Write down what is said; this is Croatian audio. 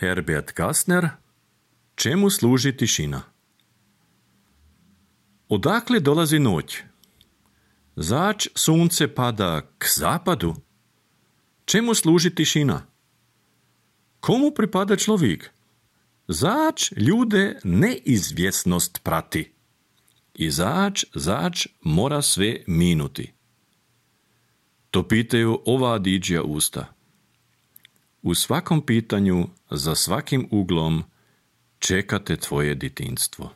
Herbert Kastner, čemu služi tišina? Odakle dolazi noć? Zač sunce pada k zapadu? Čemu služi tišina? Komu pripada človek? Zač ljude neizvjesnost prati? I zač mora sve minuti? To pitaju ova diđija usta. U svakom pitanju, za svakim uglom, čekate tvoje djetinjstvo.